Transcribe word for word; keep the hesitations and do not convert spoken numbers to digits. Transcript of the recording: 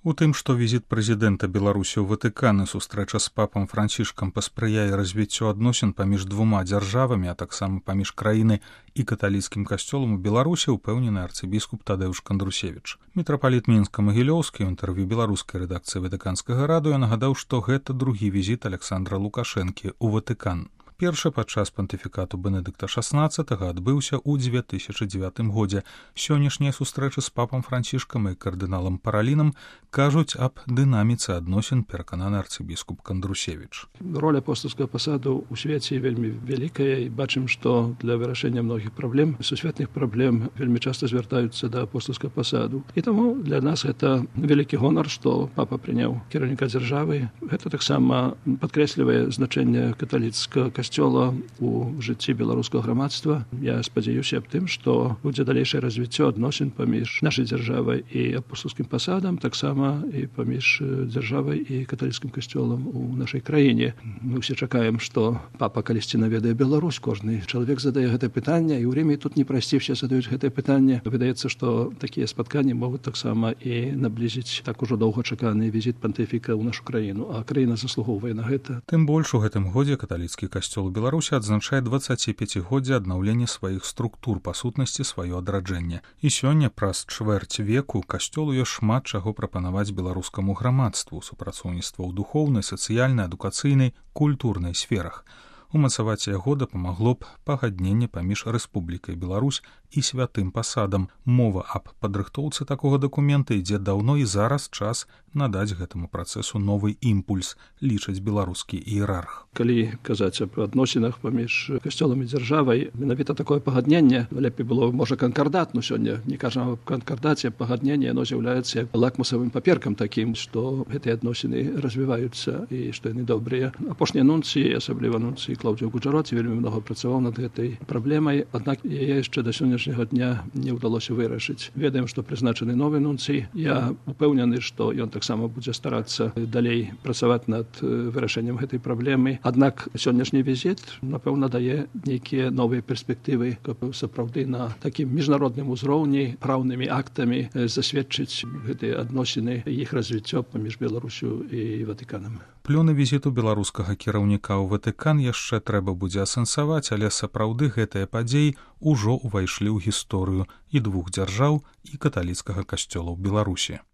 У тым, што візіт прэзідэнта Беларусі ў Ватыкан і сустрэча з папам Францішкам паспрыяе развіццю адносін паміж двума дзяржавамі, а таксама паміж краіны і каталіцкім касцёлам у Беларусі, упэўнены арцыбіскуп Тадэўш Кандрусевіч. Мітрапаліт Мінска-Магілёўскі ў інтэрв'ю беларускай рэдакцыі Ватыканскага радыё нагадаў, што гэта другі візіт Александра Лукашэнкі ў Ватыкан. Першы падчас пантыфікату Бенедыкта шаснаццатага адбыўся ў дзве тысячы дзевятым годзе. Сённяшнія сустрэчы з папам Францішкам і кардыналам Паралінам кажуць аб дынаміцы адносін, перакананы арцыбіскуп Кандрусевіч. Роля апостольскага пасаду ў свеце вельмі вялікая, і бачым, што для вырашэння многіх праблем, сусветных праблем, вельмі часта звяртаюцца да апостольскага пасаду. І таму для нас гэта вялікі гонар, што папа прыняў кіраўніка дзяржавы. Гэта таксама падкрэслівае значэнне каталіцкага касцёла у жыцці беларускага грамадства. Я спадзяюся аб тым, што будзе далейшае развіццё адносін паміж нашай дзяржавай і апостольскім пасадам, таксама і паміж дзяржавай і каталіцкім касцёлам у нашай краіне. Мы ўсе чакаем, што папа калісьці наведае Беларусь. Кожны чалавек задае гэтае пытанне, і ў Рыме тут не прасці, все задаюць гэтае пытанне. Выдаецца, што такія спатканні могуць таксама і наблізіць так ужо доўгачаканы візіт пантыфіка ў нашу краіну, а краіна заслугоўвае на гэта. Тым больш у гэтым годзе каталіцкі касцёл у Беларусі адзначае дваццаціпяцігоддзе аднаўлення сваіх структур, па сутнасці сваё адраджэнне. І сёння праз чвэрць веку касцёлу ёсць шмат чаго прапанаваць беларускаму грамадству, супрацоўніцтва ў духоўнай, сацыяльнай, адукацыйнай, культурнай сферах. Умацаваць яго дапамагло б пагадненне паміж Рэспублікай Беларусь і святым пасадам. Мова аб падрыхтоўцы такога дакумента ідзе даўно, і зараз час надаць гэтаму працэсу новы імпульс, лічыць беларускі іерарх. Калі казаць аб адносінах паміж касцёлам і дзяржавай, менавіта такое пагадненне, лепей было, можа, канкардат, но сёння не кажам аб канкардаце, пагадненне, яно з'яўляецца лакмусавым паперкам такім, што гэтыя адносіны развіваюцца і што яны добрыя. Апошнія нунцыі, асабліва нунцыі Клаўдзіо Гуджароці, вельмі многа працаваў над гэтай праблемай, аднак яе яшчэ да сённяшняга дня не ўдалося вырашыць. Ведаем, што прызначаны новы нунцый. Я упэўнены, што ён таксама будзе старацца далей працаваць над вырашэннем гэтай праблемы. Аднак сённяшні візіт, напэўна, дае нейкія новыя перспектывы, каб сапраўды на такім міжнародным узроўні праўнымі актамі засведчыць гэтыя адносіны, іх развіццё паміж Беларусю і Ватыканам. Плёны візіту беларускага кіраўніка ў Ватыкан яшчэ трэба будзе асэнсаваць, але сапраўды гэтыя падзеі ўжо ўвайшлі ў гісторыю і двух дзяржаў, і каталіцкага касцёла ў Беларусі.